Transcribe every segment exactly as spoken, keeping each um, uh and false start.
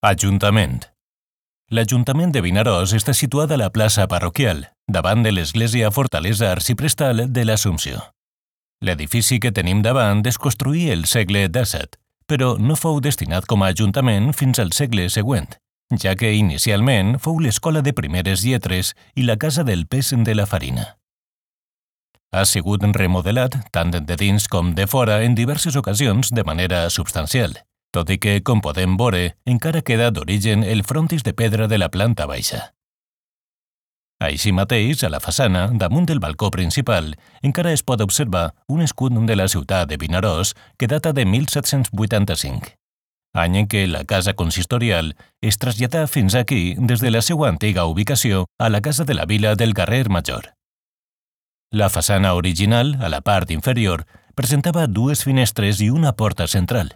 Ajuntament. L'Ajuntament de Vinaròs està situat a la plaça parroquial, davant de l'església fortalesa arciprestal de l'Assumpció. L'edifici que tenim davant es construí el segle disset, però no fou destinat com a ajuntament fins al segle següent, ja que inicialment fou l'escola de primeres lletres i la casa del pes de la farina. Ha sigut remodelat tant de dins com de fora en diverses ocasions de manera substancial, tot i que, com podem veure, encara queda d'origen el frontis de pedra de la planta baixa. Així mateix, a la façana, damunt del balcó principal, encara es pot observar un escut de la ciutat de Vinaròs que data de mil set-cents vuitanta-cinc, any en què la casa consistorial es traslladà fins aquí des de la seva antiga ubicació a la casa de la vila del carrer Major. La façana original, a la part inferior, presentava dues finestres i una porta central,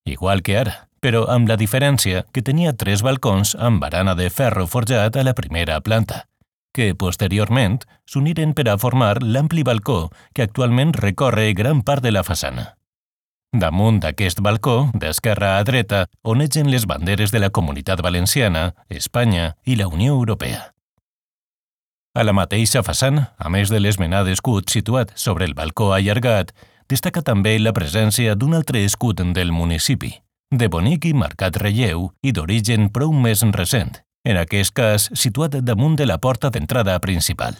igual que ara, però amb la diferència que tenia tres balcons amb barana de ferro forjat a la primera planta, que posteriorment s'uniren per a formar l'ampli balcó que actualment recorre gran part de la façana. Damunt d'aquest balcó, d'esquerra a dreta, onegen les banderes de la Comunitat Valenciana, Espanya i la Unió Europea. A la mateixa façana, a més de l'esmenat escut situat sobre el balcó allargat, destaca també la presència d'un altre escut del municipi, de bonic i marcat relleu i d'origen prou més recent, en aquest cas situat damunt de la porta d'entrada principal.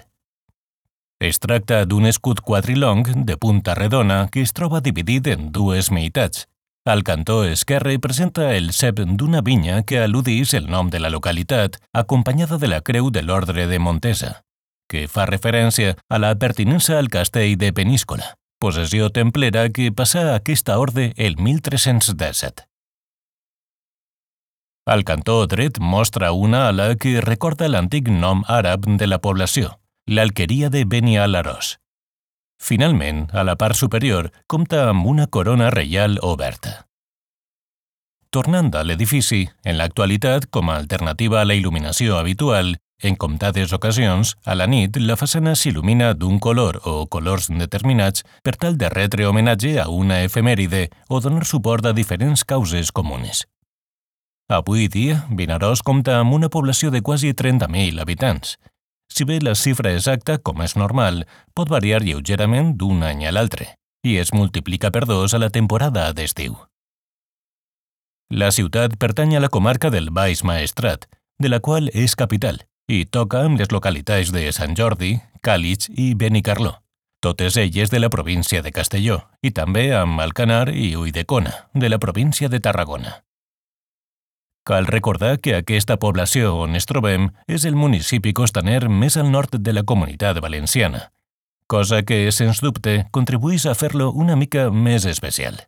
Es tracta d'un escut quadrilong de punta redona que es troba dividit en dues meitats. Al cantó esquerre presenta el cep d'una vinya que al·ludís el nom de la localitat, acompanyada de la creu de l'Ordre de Montesa, que fa referència a la pertinença al castell de Peníscola, possessió templera que passà a aquesta orde el mil tres-cents disset. Al cantó dret mostra una ala que recorda l'antic nom àrab de la població, l'alqueria de Beni al-Aròs. Finalment, a la part superior, compta amb una corona reial oberta. Tornant a l'edifici, en l'actualitat, com a alternativa a la il·luminació habitual, en comptades ocasions, a la nit, la façana s'il·lumina d'un color o colors determinats per tal de retre homenatge a una efemèride o donar suport a diferents causes comunes. Avui dia, Vinaròs compta amb una població de quasi trenta mil habitants. Si bé la xifra exacta, com és normal, pot variar lleugerament d'un any a l'altre, i es multiplica per dos a la temporada d'estiu. La ciutat pertany a la comarca del Baix Maestrat, de la qual és capital, i toca amb les localitats de Sant Jordi, Càlig i Benicarló, totes elles de la província de Castelló, i també amb Alcanar i Ulldecona, de la província de Tarragona. Cal recordar que aquesta població on es trobem és el municipi costaner més al nord de la Comunitat Valenciana, cosa que, sens dubte, contribueix a fer-lo una mica més especial.